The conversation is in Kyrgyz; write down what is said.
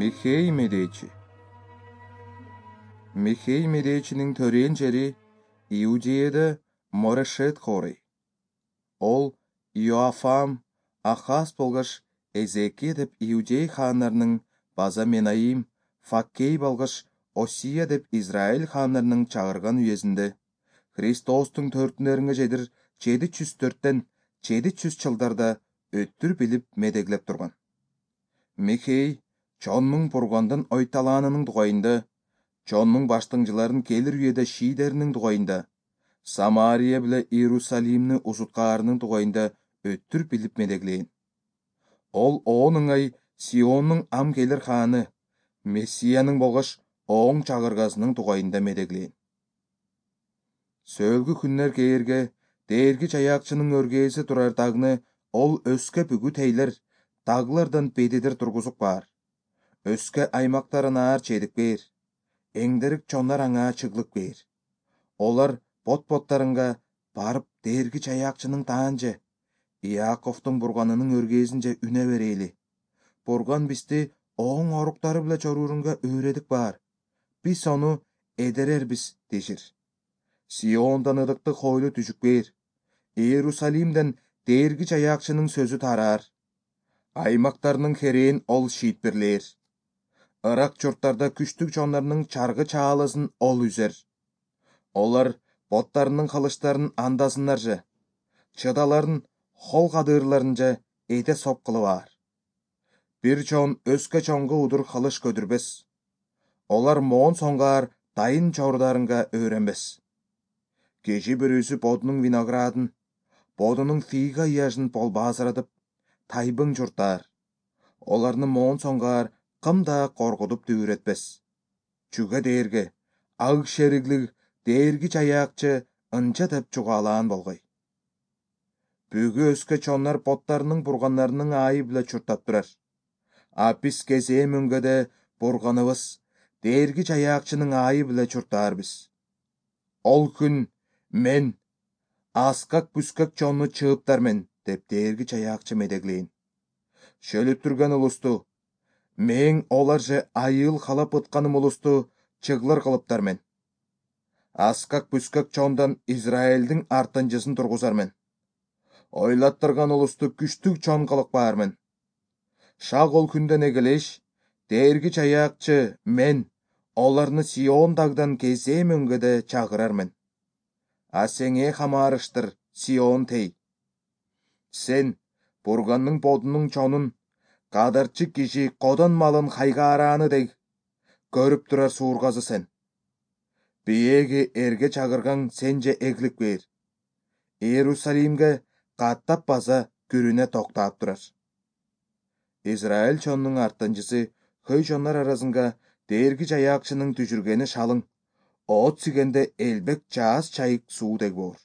Михей медечи. Михей медечинин төрөөн жери Иудеяда Морешет хорей. Ол Иоафам, Ахаз болгош Эзекия деп Иудей хаандарынын база Менаим, Факкей болгош Осия деп Израиль хаандарынын чагырган үйесинде Христостун төртүнөрүнгө жедир 704тен 700 жылдарда өттүр билип медеглеп турган. Михей чоннун бургандан ойталаанынын дугайында, чоннун баштыңжыларын келир үйеде шийдеринин дугайында, Самария биле Иерусалимни узуткаарынын дугайында өттүр билип медеглейин. Ол оон ыңай Сионнун ам келир хааны, Мессиянын болгош оң чагыргасынын дугайында медеглейин. Сөөлгү күннер кээрге Дээрги Жаякчынын өргээси турар дагны ол өскө бүгү тейлер, дагылардан бедидир тургузуп баар. Өскө аймактарын аар чедик бээр. Эңдерик чоннар аңаа чыглык бээр. Олар бот-боттарынга барып Дээрги Жаякчынын таанже, Иаковтун бурганынын өргезинже үне берейли. Бурган бизди оң оруктары биле чоруурунга өөредик баар. Биз ону эдерербиз дешир. Сиондон ыдыктык хойлу түшүк бээр. Иерусалимден Дээрги Жаякчынын сөзү тараар. Аймактарынын херээн ол шийтпирлээр. Ырак журттарда күчтүк чоннорунун чаргы чаалысын ол үзер. Олар боттарынын кылычтарын андасынаржы, чыдаларын хол кадырларынжа эде соп кылып аар. Бир чон өскө чонго удур кылыч көдүрбес. Олар моон соңгаар дайын чордарынга өөрөнбес. Кежи бирүүсү бодунун виноградын, бодунун фига ыяжын болбаазыратып, тайбың журтаар. Оларны моон соңгаар кым да коргутуп дүүрөтпес. Чүгө дээрге аг шериглик Дээрги Жаякчы ынча деп чугаалаан болгой. Бүгү өскө чоннор боттарынын бургандарынын аайы биле чуртап турар. А биз кезээ мөңгөдө бурганыбыз Дээрги Жаякчынын аайы биле чуртаарбыз. Ол күн мен аскак бүскөк чонну чыыптармен деп Дээрги Жаякчы медеглейин. Шөлүп турган улусту, мээң оларжы айыл халап ытканым улусту чыглыр кылыптармен. Аскак бүскөк чондан Израилдин артынчысын тургузармен. Ойлаттырган улусту күчтүк чон кылып баармен. Шак ол күндөн эгелеш, Дээрги Жаякчы мен оларны Сион дагдан кезээ мөңгөдө чагырармен. А сеңээ хамаарыштыр, Сион тей. Сен бурганның бодунун чонун, кадарчы киши кодон малын хайгаарааны дег, көрүп турар суургазы сен. Биеги эрге чагыргаң сенже эглик бээр. Иерусалимге каттап база күрүнө токтоп турар. Израиль чонунун артынчысы хөй чоннор арасынга Дээрги Жаякчынын түшүргени шалың, оот сигенде элбек жааз чайык суу дег боор.